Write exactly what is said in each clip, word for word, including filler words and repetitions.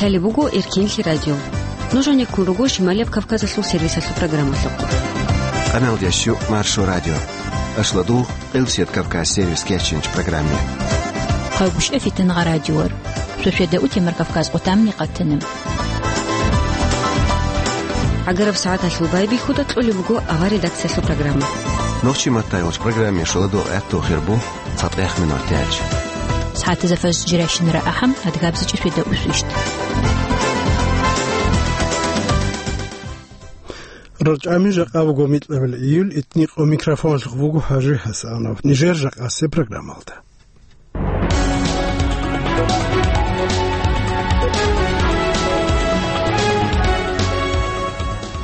Лъалеб буго Эркенлъи радио. Нуж гьанеккун руго Шималияб Кавказалъул сервисалъул программалъухъ. Къаналдиящу Маршо радио. Ашладу Элсет Кавказ сервис кечинч программе. Хъалгушев Фитангъа радиор. Сосведа утемар Кавказ къотамни къатана. ГӀагараб сагӀаталъул байбихьуда кьолеб буго авар редакциялъул программа. Нохчи маттайолч программе шоладо гӀатту хирбу. ЦатӀех минут тяч. СагӀатазда фарз жиращинара ахӀам, адгабзичӀи светда усвищт. РачӀами жакъа буго микьабил июль, итникъо микрофонлъухъ буго ХӀажи ХӀасанов. Нижер жакъасе программалда.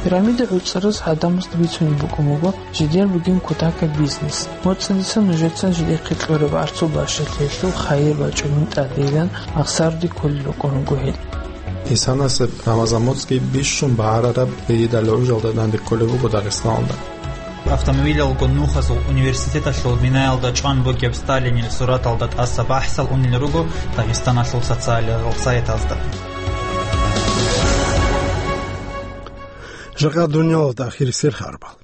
Пирамида гӀуцӀараз гӀадамазда бицунеб букӀун буго жидер бугеб кутакаб бизнес. МоцӀалица нужецан жидехъе кьураб арцул бащалъиялъул хайир бачӀунин тӀадегӀан ахсаруде кколел рукӀун руго гьел. Гьесанасеб Рамазан моцӀги бищун багӀарараб гьейидал гӀужалда данде кколеб буго Дагъистаналда. Автомобилалго нухазул университеталъул минаялда чӀван бугеб Сталинил сураталда тӀаса бахӀсал унел руго Дагъистаналъул социалиялъул сайтазда. Жакъа дуниялалда ахирисел харбал.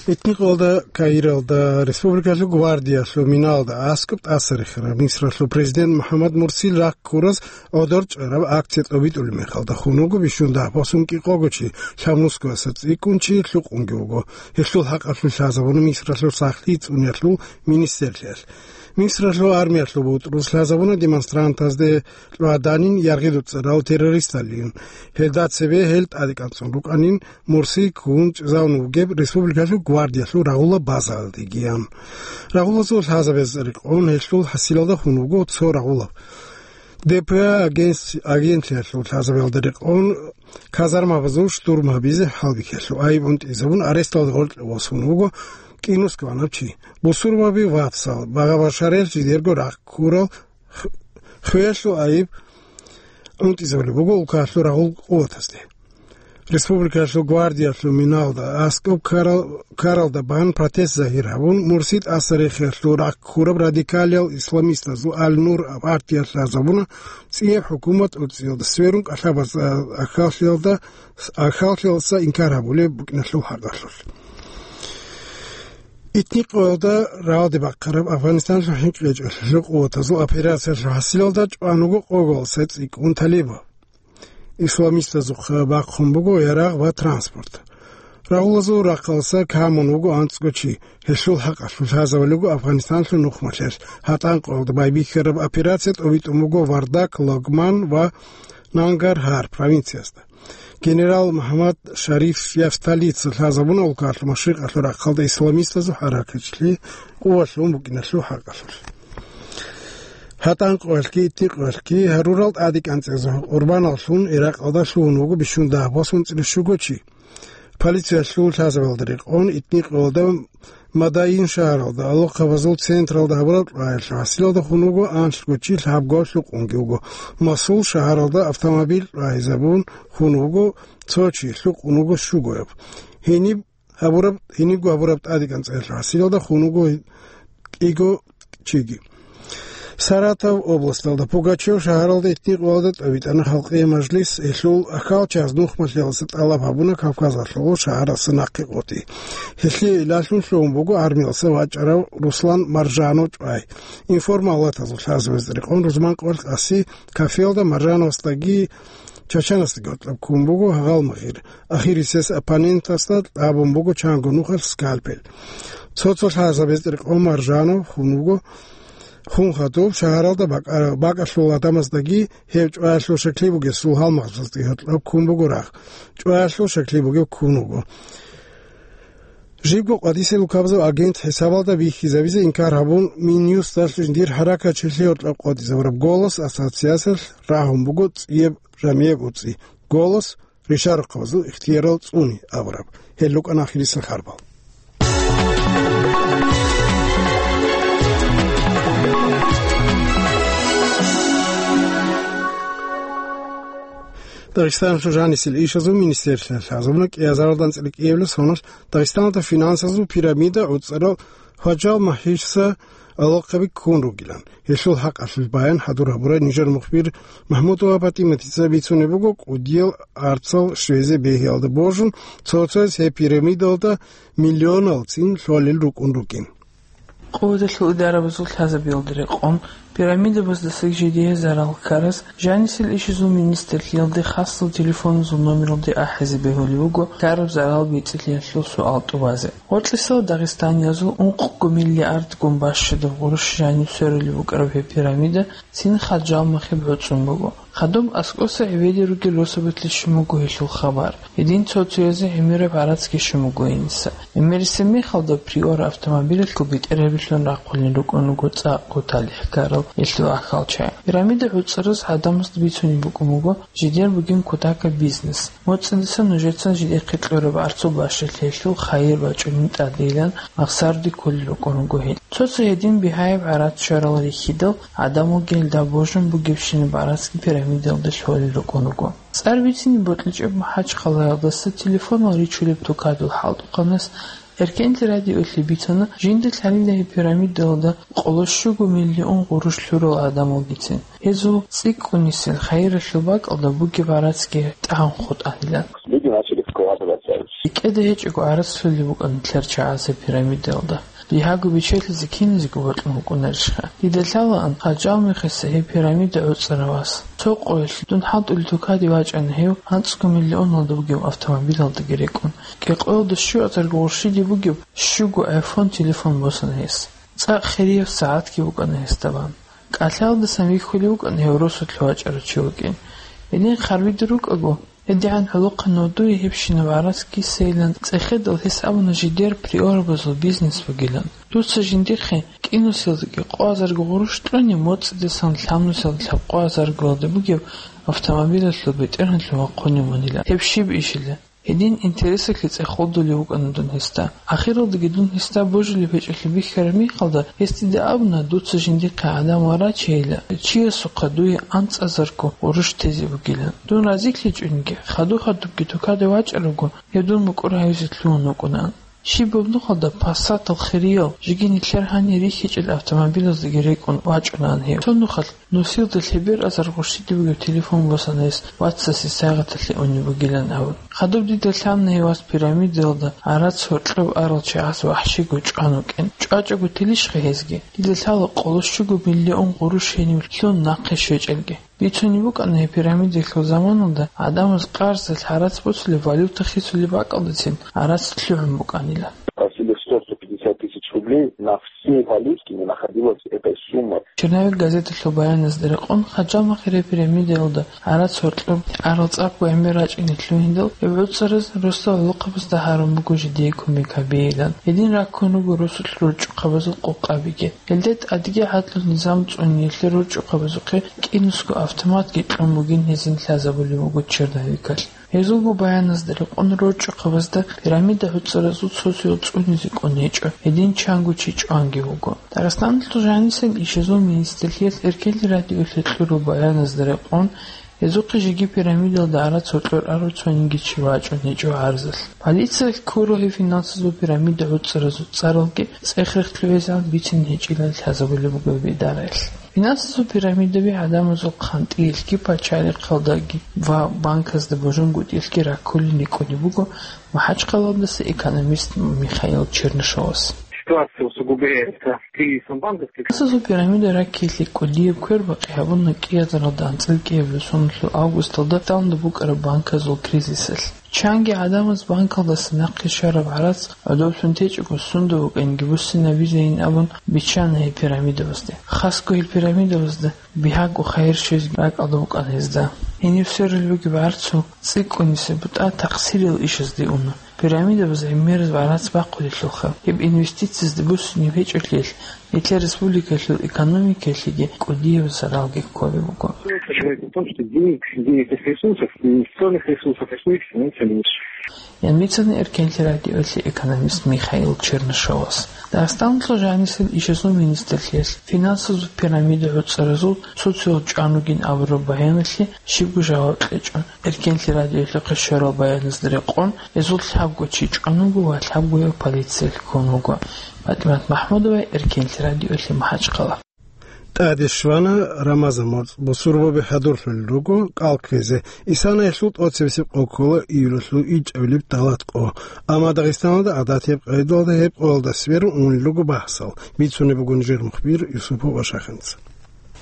Итникъалда Каиралда республикалъул гвардиялъул миналда аскӀоб тӀасарихараб Мисралъул президент МухӀаммад Мурсил рахъ ккураз гӀодор чӀараб акция тӀобитӀулеб мехалда хун вуго бищун дагьбасун кӀикъого чи, лъабнусгояса цӀикӀкӀун чи лъукъунги вуго. Гьелъул хӀакъалъулъ лъазабуна Мисралъул сахлъи цӀуниялъул министрлъиялъ. Мисралъул армиялъул бутӀрулъ лъазабуна демонстрантазде кьваданин яргъидуцӀарал террористалин. Гьелда цебе гьел тӀадекӀанцӀун рукӀанин, Мурси ккун чӀезавун вугеб республикалъул гвардиялъул рагъула базаялдегиян. Рагъулазул лъазабез рекъон гьелъул хӀасилалда хун вуго цо рагъулаб. ДПА агентс-, агентлъиялъул лъазабаялда рекъон казармабазул штурм гьабизе хӀалбихьалъул айиб унтӀизабун аресталда гъоркье восун вуго кӀинусгванаб чи. Бусурбаби вацал, багъа-башарел жидерго рахъ ккурал х-, хвелъул айиб унтӀизабулеб буго улкалъул рагъул къуватазде. Республикалъул гвардиялъул миналда аскӀоб ккарал-, ккаралда бан протест загьир гьабун, Мурси тӀасарихиялъул рахъ ккураб радикалиял исламистазул Аль-Нур партиялъ лъазабуна цӀияб хӀукумат уцӀиялда сверун кӀалъабаз ахьаллъиялда, ахьаллъиялдаса инкар гьабулеб букӀиналъул хӀакъалъулъ. Итникъоялда рагӀалде бахъараб Афганистаналъул хӀинкъичӀелъул къуватазул операциялъул хӀасилалда чӀван вуго къоголъа цӀикӀкӀун талибал. Исламистазухъа бахъун буго ярагъ ва транспорт. Рагъулазул рахъалса камун вуго анцӀго чи. Гьелъул хӀакъалъулъ лъазабулеб буго Афганистаналъул нухмалъиялъ. ГьатӀанкъоялда байбихьараб операция тӀобитӀун буго Вардак, Логман ва Нангаргьар провинциязда. Генерал МухӀаммад Шариф Яфталица лъазабуна улкалъул машрикъалъул рахъалда исламистазул хӀаракаталъе къуват лъун букӀиналъул хӀакъалъулъ. ГьатӀанкъоялъги итникъоялъги гьарурал тӀадекӀанцӀазул къурбаналлъун Иракъалда лъугьун вуго бищун дагьбасун цӀилищ вуго чи. Полициялъул лъазабаялда рекъон итникъоялда Мадаин шагьаралда, алохъабазул централда гьабураб кьваялъул хӀасилалда хун вуго анлъго чи, лъабго лъукъунги вуго. Масул шагьаралда автомобиль кьвагьизабун хун вуго цо чи, лъукъун вуго щугояб. Гьениб гьабураб, гьенибго гьабураб тӀадекӀанцӀаялъул хӀасилалда хун вуго кӀиго чиги. Саратов областалда, Пугачев шагьаралда итникъоялда тӀовитӀана халкъие мажлис, гьелъул ахьалчияз нухмалъиялдаса тӀалаб гьабуна Кавказалъул шагьаралдаса нахъе къотӀи. Гьелъие илалъун лъугьун буго армиялдаса вачӀарав Руслан Маржанов чӀвай. Информалатазул лъазабазда рекъон рузман къоялъ къаси кафелда Маржановасдаги Чачанасдаги гьоркьоб ккун буго гьалмагъир. Ахирисез оппонентасда тӀабун буго чанго нухалъ скальпель. Цо-цо лъазабазда рекъон Маржанов хун вуго, хун хадуб шагьаралда бакӀа-, бакӀалъул гӀадамаздаги гьев чӀваялъул шакли бугесул гьалмагъзаздаги гьоркьоб ккун буго рагъ. ЧӀваялъул шакли бугев ккун вуго. Жибго къватӀисел улкабазул агент хӀисабалда бихьизабизе инкар гьабун, Минюсталъ жиндир хӀаракатчилъи гьоркьоб къотӀизабураб «Голос» ассоциациялъ рагьун буго цӀияб жамияб уцӀи. «Голос» ришарухъабазул ихтиярал цӀуни абураб. Гьел рукӀана ахирисел харбал. Дагъистаналъул жанисел ишазул министрлъиялъ лъазабуна кӀиазаралда анцӀила кӀиабилеб соналъ Дагъистаналда финансазул пирамида гӀуцӀарал Хваджал Махьиса алахъаби ккун ругилан. Гьелъул хӀакъалъулъ баян хӀадур гьабурай нижер мухбир Махмудова ПатӀиматица. Бицунеб буго, кӀудиял арцал щвезе бегьиялда божун, цо-цояс гьеб пирамидалда миллионалцин лъолел рукӀун рукӀин. Къуваталъул идарабазул лъазабиялда рекъон, пирамидабаздаса жидее зарал ккараз, жанисел ишазул министрлъиялде хасал телефоназул номералде ахӀизе бегьулеб буго ккараб зарал бецӀлъиялъул суал тӀубазе. Гъоркьисал дагъистаниязул ункъго миллиардгун бащадаб гъурущ жаниб сверулеб букӀараб гьеб пирамида цин Хаджалмахе боцӀун буго. Хадуб аскӀоса гӀебеде ругел росабалъе щун буго гьелъул хабар. Гьедин цо-цоязе гӀемераб гӀарацги щун буго гьениса. ГӀемерисеб мехалда Приора автомобилалъул бетӀергьабилъун рахъулел рукӀун руго цӀакъго талихӀ ккарал гьелъул ахьалчагӀи. Пирамида гӀуцӀараз гӀадамазда бицунеб букӀун буго жидер бугин кутакаб бизнес. МоцӀидасан нужецан жидехъе кьураб арцул бащалъиялъул хайир бачӀунин тӀадейилан махсарде кколел рукӀун руго гьел. Цо-цо гьедин бигьаяб гӀарац щварал рихьидал, гӀадамалги гьелда божун бугебщинаб гӀарацги пирамидалда лъолел рукӀун руго. ЦӀар бицине бокьичӀеб МахӀачхъалаялдаса телефонал ричулеб тукадул хӀалтӀухъанас Эркенлъи радиоялъе бицана, жинда лъалила гьеб пирамидалда къоло щуго миллион гъурущ лъурал гӀадамалгицин. Гьезул цӀикӀкӀунисел хайиралъул бакӀалда бугеб гӀарацги тӀагӀун хутӀанила. Люди начали вкладываться. РикӀкӀада гьечӀого гӀарац лъолеб букӀана нилъер чагӀазе пирамидалда. Бигьаго бичелъизе киназего бокьун букӀунарищха? Дида лъалаан, Хаджалмахеса гьеб пирамида гӀуцӀарав вас. Цо къоялъ дун хӀалтӀулел тукаде вачӀана гьев анцӀго миллионалда бугеб автомобилалдаги рекӀун. КӀикъоялда щуазарго гъурщиде бугеб щуго iPhone телефон босана гьес. ЦӀакъ хирияб сагӀатги букӀана гьесда бан. КӀалъаялдасан вихьулев вукӀана гьев росулъ вачӀарав чи вукӀин. Гьедин харбида рукӀаго, гьедигӀан гӀолохъанав дуе гьебщинаб гӀарац кисайилан цӀехедал, гьес абуна жидер приорабазул бизнес бугилан. Дуца жиндихъе кӀинусиялдаги къоазарго гъурущ кьуни, моцӀидасан лъабнусиялда лъабкъоазаргоялда бугеб автомобилалъул бетӀергьанлъун вахъунев вунила. Гьеб щиб ишила? Гьедин интересалъе цӀехолдулев вукӀана дун гьесда. Ахиралдаги дун гьесда божилеб гьечӀолъи бихьараб мехалда, гьес дида абуна, дуца жиндихъе гӀадан варачейила, чиясухъа дуе анцӀазарго гъурущ тезе бугилан. Дун разилъичӀониги, хадуб-хадубги тукада вачӀаравго, гьев дун мукӀур гьавизе лъугьун вукӀунаан. Щибаб нухалда Пассатал хириял, жеги нилъер гьанир рихьичӀел автомобилаздаги рекӀун вачӀунаан гьев. Цо нухалъ нусилда лъебераб азар гъурщиде бугеб телефон босана гьес вацасе сайгъаталъе унеб бугилан абун. Хадуб дида лъана гьев вас пирамидалда гӀарац гьоркьоб арал чагӀаз вахӀщиго чӀван вукӀин. ЧӀвачӀого телищха гьезги? Дида лъала къоло щуго миллион гъурущ гьенив лъун нахъе щвечӀелги. Бицунеб букӀана гьеб пирамидалъул заманалда гӀадамаз къарздалъ гӀарац босулеб, валюта хисулеб бакӀалдацин гӀарац лъугӀун букӀанила. Просили сто, сто пятьдесят тысяч рублей на все валюты, не находилась эта сумма. Черновик газеталъул баяназда рекъон, Хаджалмахе гьеб пирамидалда гӀарац гьоркьоб арал цӀакъго гӀемер рачӀине лъугьиндал, гьеб гӀуцӀараз росдал гӀолохъабазда гьарун буго жидее кумек гьабейилан. Гьедин раккун руго росулъ рорчӀухъабазул къокъабиги. Гьелде тӀадеги гӀадлу низам цӀуниялъе рорчӀухъабазухъе кӀинусго автоматги кьун бугин гьезин лъазабулеб буго черновикалъ. Гьезулго баяназда рекъон рорчӀухъабазда пирамида гӀуцӀаразул цо-цоял цӀунизе кӀун гьечӀо, гьедин чанго чи чӀванги вуго. Дагъистаналъул жанисел ишазул министрлъиялъ Эркенлъи радиоялъе кьураб баяназда рекъон, гьезухъе жеги пирамидалда гӀарац гьоркьор арав цониги чи вачӀун гьечӀо гӀарзалъ. Полициялъ ккурал гьеб финансазул пирамида гӀуцӀаразул цӀаралги цӀех-рех лъугӀизегӀан бицин гьечӀилан лъазабулеб буго гьеб идараялъ. Финансазул пирамидаби гӀадамазул хъантӀиялъги пачалихъалдаги ва банказда божунгутӀиялъги раккулин рикӀкӀунеб буго МахӀачхъалаялдаса экономист Михаил Чернышовас. Ситуация усугубляется кризисом банковских. Финансазул пирамида раккиялъе кӀудияб квербакъи гьабуна кӀиазаралда анцӀила кӀиабилеб соналъул августалда Дагъистаналда букӀараб банказул кризисалъ. Чанги гӀадамаз банкалдаса нахъе щвараб гӀарац гӀодовлъун течӀого, сунда вукӀинги буссинабизейин абун биччана гьеб пирамидабазде. Хасго гьел пирамидабазда бигьаго хайир щвезеги ракӀалда букӀана гьезда. Гьениб сверулеб бугеб гӀарцул цӀикӀкӀунисеб бутӀа такъсириял ишазде уна. Пирамидабаз гӀемераб гӀарац бахъулелъулха, гьеб инвестициязда буссунеб гьечӀолъиялъ, нилъер республикалъул экономикаялъеги кӀудияб заралги кколеб буго. Человек в том, что денег, денежных ресурсов, инвестиционных ресурсов, их не меньше. ян бицана Эркенлъи радиоялъе экономист Михаил Чернышевас. Дагъистаналъул жанисел ишазул министрлъиялъ финансазул пирамида гӀуцӀаразул цо-цоял чӀван вугин абураб баяналъе щибго жаваб кьечӀо. Эркенлъи радиоялъухъе щварал баяназда рекъон, гьезул лъабго чи чӀван вуго ва лъабгояв полициялъ ккун вуго. ПатӀимат Махмудова, Эркенлъи радиоялъе МахӀачхъала. ТӀаде щвана Рамазан моцӀ, бусурбаби хӀадурлъулел руго кӀал кквезе. Исанаялъул тӀоцебесеб къо ккола июлалъул ичӀабилеб талат къо. Амма Дагъистаналда гӀадатияб къайдалда гьеб къоялда сверун унел руго бахӀсал, бицунеб буго нижер мухбир Юсупов Ашахинца.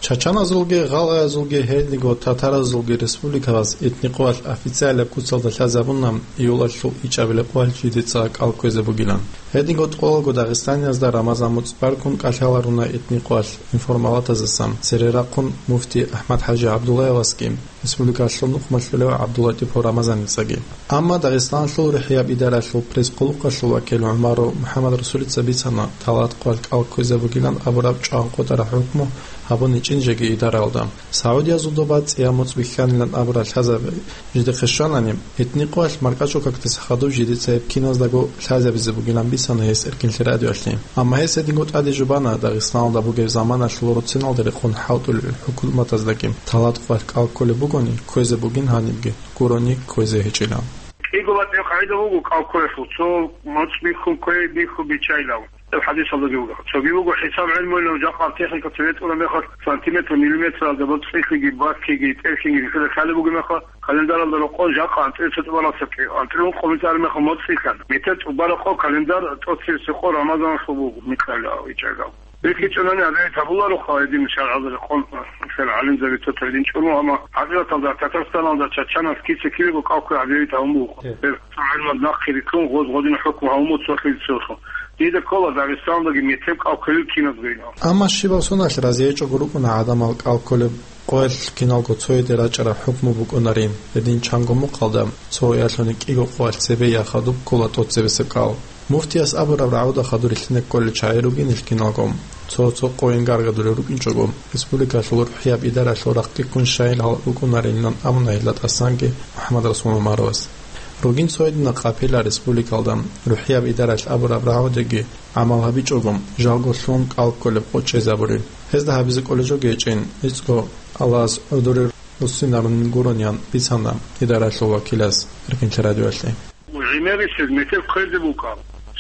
Чачаназулги, гъалгъаязулги, гьединго татаразулги республикалъ этникъоялъ официалияб куцалда лъазабуна июлалъул ичӀабилеб къоялъ жидеца кӀал кквезе бугилан. Гьединго тӀолго Дагъистаниязда Рамазан моцӀ баркун кӀалъаларуна этникъоялъ информалатазасан, цере рахъун муфти АхӀмад-ХӀажи ГӀабдуллаевасги, республикалъул нухмалъулев ГӀабдуллатӀипов Рамазаницаги. Амма Дагъистаналъул рухӀияб идаралъул пресс-хъулухъалъул вакил ГӀумаров МухӀаммадрасулица бицана, талат къоялъ кӀал кквезе бугилан абураб чӀван къотӀараб хӀукму гьабун гьечӀин жеги идаралда. СагӀудиязул доба цӀияб моцӀ бихьанилан абураб лъазаби жидехъе щванани, этникъоялъ маркӀачӀул какдаса хадуб жидеца гьеб киназдаго лъазабизе бугилан бицана гьес Эркенлъи радиоялъе. Амма гьес гьединго тӀаде жубана, Дагъистаналда бугеб заманалъул руциналда рекъон хӀалтӀулел хӀукуматаздаги талат къоялъ кӀал кколеб бугони, кквезе бугин, гьанибги гурони кквезе гьечӀила. КӀиго батӀияб къагӀида буго кӀал кколелъул, цо моцӀ бихьун кквей, бихьун биччайилан. Гьеб хӀадисалдаги буго. Цоги буго хӀисаб гӀелмуйилан жакъа техникаца ветӀула мехалъ сантиметр, миллиметралда боцӀихъиги, баккиги, тӀерхьинги рихида лъалеб буго мехалъ, календаралда рокъон жакъа анцӀила цо тӀубаралъа кӀи-, анцӀила ункъо мицӀар мехалъ моцӀ цӀикӀкӀан. Метер тӀубараб къо календар тӀоцебесеб къо Рамазаналъул буго, микьала вичӀайилан. БихьичӀонани гьабизе гьабулароха гьедин шаргӀалда рекъон, мисал, гӀалимзаби цо-цо гьедин чӀун, амма хӀакъикъаталда Татарстаналда чачанас киса-кивего кӀал кквей гьабизе гьабун буго. Гьеб гӀелмуялда нахъе рилълъун гъоз гъодин хӀукму гьабун буго цо хилица цолъун. Дида ккола Дагъистаналдаги метеб кӀал кколел киназго гьенав. Амма щибаб соналъ разиячӀого рукӀуна гӀадамал кӀал кколеб къоялъ киналго цояде рачӀараб хӀукму букӀунарин, гьедин чанго мухъалда цо ялъуни кӀиго къоялъ цебе я хадуб ккола тӀоцебесеб кӀал. Муфтияс абураб рагӀуда хадур рилълъине кколел чагӀи ругин ил киналго, цо-цо къойин гаргадулел рукӀинчӀого, республикалъул рухӀияб идаралъул рахъги ккун щайилал рукӀунарилан абуна гьелда тӀасанги МухӀаммадрасул ГӀумаровас. Ругин цо гьединал къапила республикалда рухӀияб идаралъ абураб рагӀудеги гӀамал гьабичӀого, жалго лъун кӀал кколеб къо чӀезабурел. Гьезда гьабизе кӀолеб жо гьечӀин, гьечӀого Аллагьас гӀодорел руссинарун гурони, ян бицана идаралъул вакилас Эркенлъи радиоялъе. ГӀемерисез метер кквезе букӀа.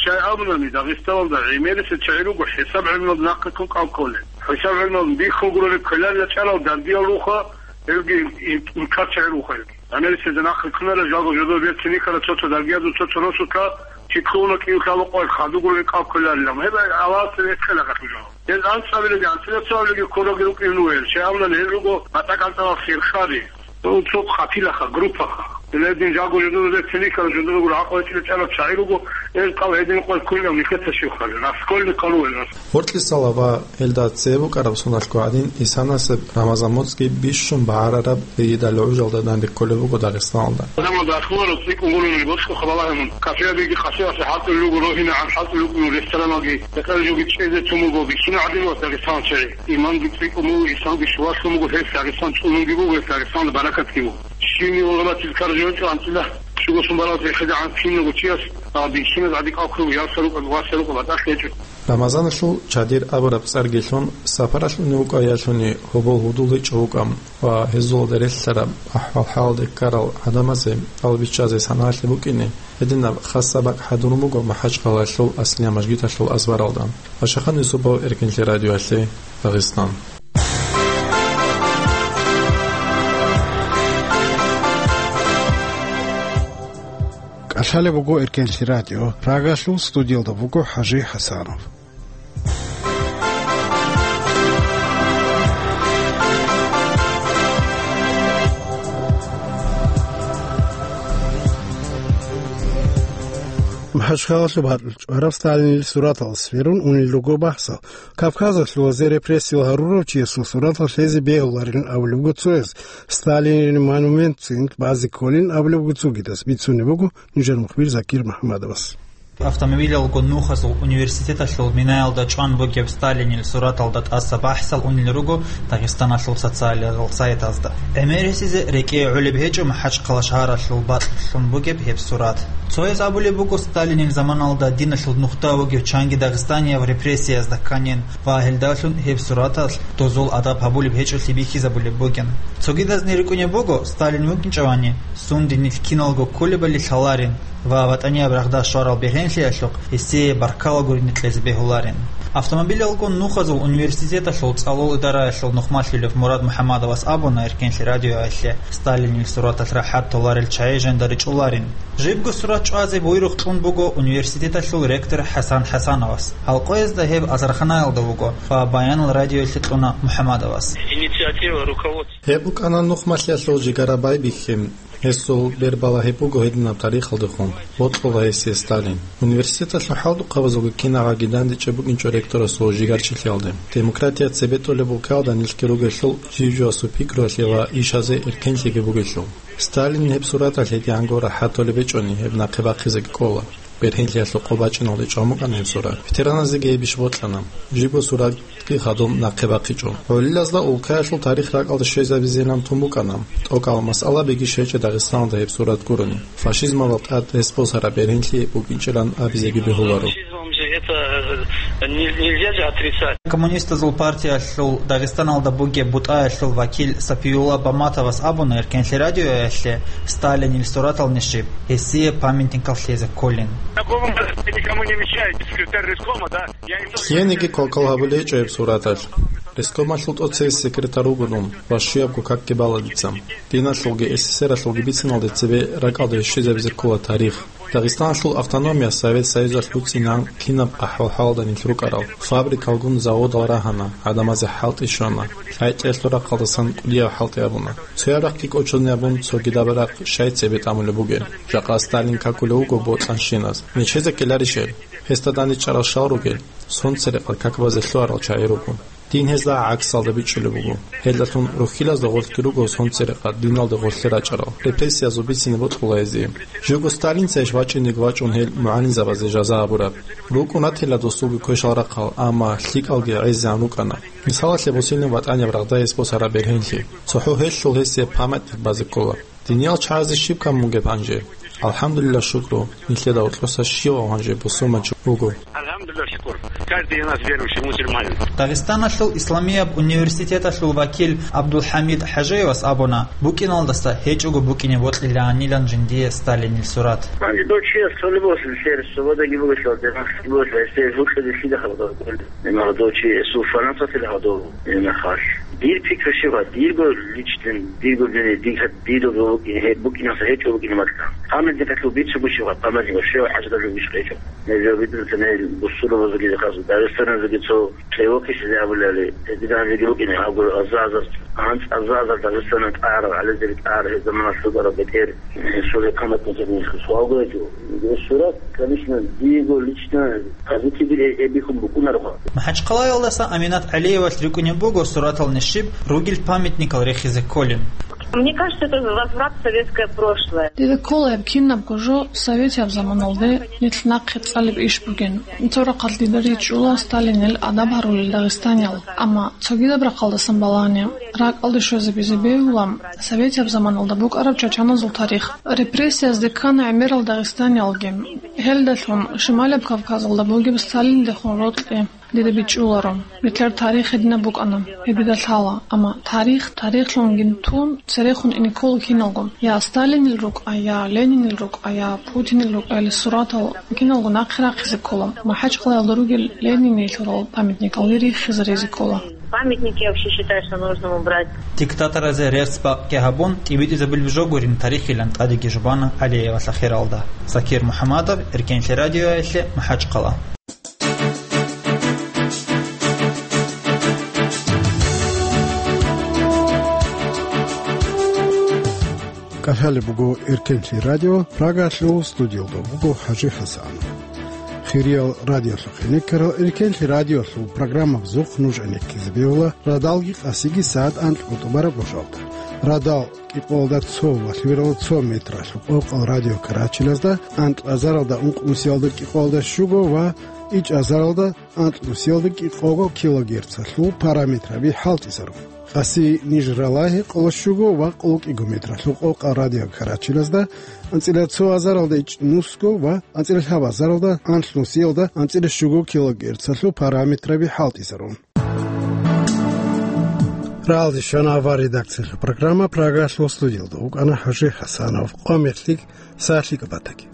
Щай абунани, Дагъистаналда гӀемерисез чагӀи руго хӀисаб гӀелмуялда нахъе ккун кӀал кколел. ХӀисаб гӀелмуялда бихьун гурони кколел рачӀарал даргиял руха, гьелги ин-, инкар чагӀи руха гьелги. ГӀемерисезда нахъе ккунарел жалго жодор берцин рихьарал цо-цо даргиязул цо-цо росулъа, чи ккуна кӀиго лъабго къоялъ хадуб гурони кӀал кколарилан. Гьеб Аллагьасда рехсела гьелъул жо. Гьез анцӀабилеги анцӀила цоабилеги ккурабги рукӀине вугев. Щай абунани гьел руго батӀа кӀанцӀарал хирхари. Цо къапилаха, группаха. Гьеле гьедин жаго жодоре цинихъал жодоре гуро гӀакъуба чӀараб чагӀи руго, гьел кӀал гьедин къоялъ ккунилан нилъеца щивха, раскольникъал ругел. Гьоркьисала ва гьелда цебе букӀараб соналъго гӀадин, исанасеб Рамазан моцӀги бищун багӀарараб ригьидал гӀужалда данде кколеб буго Дагъистаналда. Рамазан ахлуарал цӀикӀкӀун гурони бокьухъа балагьун. Кафеялдеги къасиялъе хӀалтӀулел руго, рогьинегӀан хӀалтӀулел руго рестораналги, бетӀер жоги чӀезе тун буго бищун гӀадин ва Дагъистаналчи. Иманги цӀикӀкӀун буго, исламги щулалъун буго, гьеб Дагъистан чӀунунги буго, гьеб Дагъистаналда баракатги буго. Щивни гъалатил каржо гьечӀо анцӀила, щуго сун барал цехидагӀан киналго чияс, а, бищуназ гӀадикӀал ккула, ярса рукӀа, васа рукӀа батӀалъи гьечӀо. Рамазаналъул чадир абураб цӀарги лъун, сапаралъ унев вукӀаялъуни гьобол гьудул гьечӀо вукӀа ва гьезулда релълъараб ахӀвал-хӀалалде ккарал гӀадамазе тӀалбиччазе саналъи букӀине, гьединаб хасаб бакӀ хӀадурун буго МахӀачхъалаялъул Аслия мажгиталъул азбаралда. Ашахан Юсупов, Эркенлъи радиоялъе, Дагъистан. КӀалъалеб буго Эркенлъи радио. Прагалъул студиялда буго ХӀажи ХӀасанов. МахӀачхъалалъуб гьарулъ чӀвараб Сталинил сураталда сверун унел руго бахӀсал. Кавказалъулазе репрессиял гьарурав чиясул суратал лъезе бегьуларилан абулеб буго цояз, Сталинил монументцин базе кколин абулеб буго цогидаз, бицунеб буго нижер мухбир Закир МухӀамадовас. Автомобилалго нухазул университеталъул минаялда чӀван бугеб Сталинил сураталда тӀаса бахӀсал унел руго Дагъистаналъул социализал сайтазда. ГӀемерисезе рекӀее гӀолеб гьечӀо МахӀачхъала шагьаралъул бакьлъун бугеб гьеб сурат. Цояз абулеб буго, Сталинил заманалда диналъул нухда вугев чанги дагъистанияб репрессиязда кканин ва гьелдалъун гьеб сураталъ дозул адаб гьабулеб гьечӀолъи бихьизабулеб бугин. Цогидазни рикӀкӀунеб буго, Сталин вукӀинчӀевани, сундинилъ киналго кколебали лъаларин ва ВатӀанияб рагъда щварал бергьенлъиялъухъ гьесие баркала гурине кьезе бегьуларин. Автомобилалго нухазул университеталъул цӀалул идараялъул нухмалъулев Мурад МухӀаммадовас абуна Эркенлъи радиоялъе Сталинил сураталъ рахӀат толарел чагӀи жинда ричӀуларин. Жибго сурат чӀвазе буйрухъ кьун буго университеталъул ректор ХӀасан ХӀасановас. Гьалкъоязда гьеб Азарханаялда вуго ва баянал радиоялъе кьуна МухӀаммадовас. Инициатива руководства. Гьеб букӀана нухмалъиялъул жигара байбихьи. Гьесул бербалагьи буго гьединаб тарихалдехун, бокьула гьесие Сталин. Университеталъул хӀалдухъабазулги кинабгӀаги дандечӀеб букӀинчӀо ректорасул жигарчилъиялде. Демократия цебетӀолеб букӀалда нилъги ругелъул жив-живасул пикруялъе ва ишазе эркенлъиги бугелъул. Сталин гьеб сураталъ гьедигӀанго рахӀат толеб гьечӀони, гьеб нахъе бахъизеги кӀола. Бергьенлъиялъул къо бачӀиналде чӀван букӀана гьеб сурат. Ветераназеги гьебищ бокьана. Жибго суратги хадуб нахъе бахъичӀо. ГӀолилазда улкаялъул тарих ракӀалде щвезабизейилан тун букӀана. ТӀокӀал масъалабиги щвечӀо Дагъистаналда гьеб сурат гурони. Фашизмалда тӀад рес босараб бергьенлъи букӀинчӀилан абизеги бегьуларо. Фашизмом же это, э, не-, нельзя же отрицать. Коммунистазул партиялъул Дагъистаналда бугеб бутӀаялъул вакил Сапиюлла Баматовас абуна Эркенлъи радиоялъе Сталинил суратал нишиб, гьесие памятникал лъезе кколин. Такого никому не мешает, секретарь райкома, да? Я не то, что... Киениги квалквал гьабулей гьечӀо гьеб сураталъ. Райкомалъул тӀоцебесеб секретарь вуго дун, ва щуябго какги бала дица. Диналъулги эсэсэралъулги бициналде цебе ракӀалде щвезабизе ккола тарих. Дагъистаналъул автономия Совет Союзалъ буцӀцӀинан кинаб ахӀвал-хӀалалда нилъ рукӀарал, фабрикалгун заводал рагьана, гӀадамазе хӀалтӀи щвана, лъайтӀиялъул рахъалдасан кӀудияв хӀалтӀи абуна. Цояб рахъги кӀочонеб абун цогидаб рахъ щай цебе тӀамулеб бугеб? Жакъа Сталин какулев вуго бокьанщиназ. Нечезе ккеларищ гьел? Гьесда дандечӀарал щал ругел? Сонцерекъад какбазе лъугьарал чагӀи руго. Дин гьезда гӀаксалда бичӀчӀулеб буго. Гьелдалъун рухьилазда гъорлъги руго сонцерекъад диналда гъорлъе рачӀарал. Репрессиязул бицине бокьула гьезие. Живго Сталинцайищ вачӀинеги вачӀун гьел мугӀалимзабазе жаза гьабураб? БукӀун ратила досулги квешал рахъал, амма лъикӀалги гӀезегӀан рукӀана. Мисалалъе босилин ВатӀанияб рагъда гьес босараб бергьенлъи. ЦохӀо гьелъул гьесие памятник базе ккола. Диниял чагӀазе щиб камун бугеб гьанже? АлхӀамдулилла, шукру, нилъеда гьоркьоса щивав гьанже бусурманчи вуго. АлхӀамдулилла, шукур. Каждый из нас верующий мусульманин. Дагъистаналъул исламияб университеталъул вакил ГӀабдулхӀамид ХӀажиевас абуна, букӀиналдаса гьечӀого букӀине бокьилаанилан жиндие Сталинил сурат. Гьанже дов чияс цолеб босун сер, свободаги бугелъул, демахъги бугелъул, гьесие жукьизе лъида хабар? Гьебмехалда дов чи гьесул фанаталъила гьадов гьебмехалъ. Дир пикру щибха, дирго личный, дирго мнение, дир-, дирго букӀин-, гьеб букӀинаса гьечӀо букӀине бакӀа. Памятникалъул бицунго щибха, памятник щиб хӀажаталъул бищ гьечӀо. Гьеб жо бидур тана гьел бусурбабазулги хъазу, Дагъистаназулги цо кӀевухъизе абулали, гьединабиги букӀине, гьабго аза-азар, анцӀ аза-азар Дагъистаналъ тӀагӀарал, гӀалезаби тӀагӀарал гьеб заманалъ рукӀарал бетӀер, гьесул гьеб памятникалъул нилъго суалго гьечӀо. Гьеб сурат, конечно, дирго лично позитиве гьеб бихьун букӀунаро. МахӀачхъалаялдаса Аминат ГӀалиевалъ рикӀкӀунеб буго суратал нишиб ругел памятникал рехизе кколин. Мне кажется, это возврат в советское прошлое. Дида ккола гьеб кинабго жо советияб заманалде нилъ нахъе цӀалеб иш бугин. Цо рахъалъ дида ричӀчӀула Сталинил адаб гьарулел дагъистаниял. Амма цогидаб рахъалдасан балагьани, ракӀалде щвезабизе бегьула советияб заманалда букӀараб чачаназул тарих. Репрессиязде ккана гӀемерал дагъистаниялги. Гьелдалъун Шималияб Кавказалда бугеб Сталиндехун рокьи дида бичӀчӀуларо. Нилъер тарих гьединаб букӀана, гьеб дида лъала, амма тарих тарихлъунгин тун, церехун ине ккола киналго. Я Сталинил рукӀа, я Ленинил рукӀа, я Путинил рукӀа, гьеле суратал киналго нахъе рахъизе ккола. МахӀачхъалаялда ругел Ленинилъурал памятникалги риххизаризе ккола. Памятники вообще считаю, что нужно убрать. Диктаторазе рерс бакъги гьабун, тӀибитӀизабулеб жо гурин тарихилан тӀадеги жубана ГӀалиевалъа хиралда. Закир МухӀаммадов, Эркенлъи радиоялъе, МахӀачхъала. КӀалъалеб буго Эркенлъи радио, Прагалъул студиялда буго ХӀажи ХӀасанов. Кириял радиолъухъе никарал эркенлъи радиолъул программабазухъ нуж гӀенеккизе бегьула радалги къасиги сагӀат анкьго тӀубараб гъожалда. Радал кӀикъоялда цо ва лъугьаралда цо метралъул къокъал радиокарачилазда анкьазаралда ункънусиялда кӀикъоялда щуго ва ичӀазаралда анкьнусиялда кӀикъого килогерцалъул параметраби хӀалтӀизарун. Къаси ниж ралагьи къоло щуго ва къоло кӀиго метралъул къокъал радиокарачилазда анцӀила цо азаралда ичӀнусго ва анцӀила лъабазаралда анлънусиялда анцӀила щуго килогерцалъул параметраби хӀалтӀизарун. Ралдищана авар редакциялъул программа Прагалъул студиялда вукӀана ХӀажи Хасанов. Къомерлъи сахлъи кӀапатаги.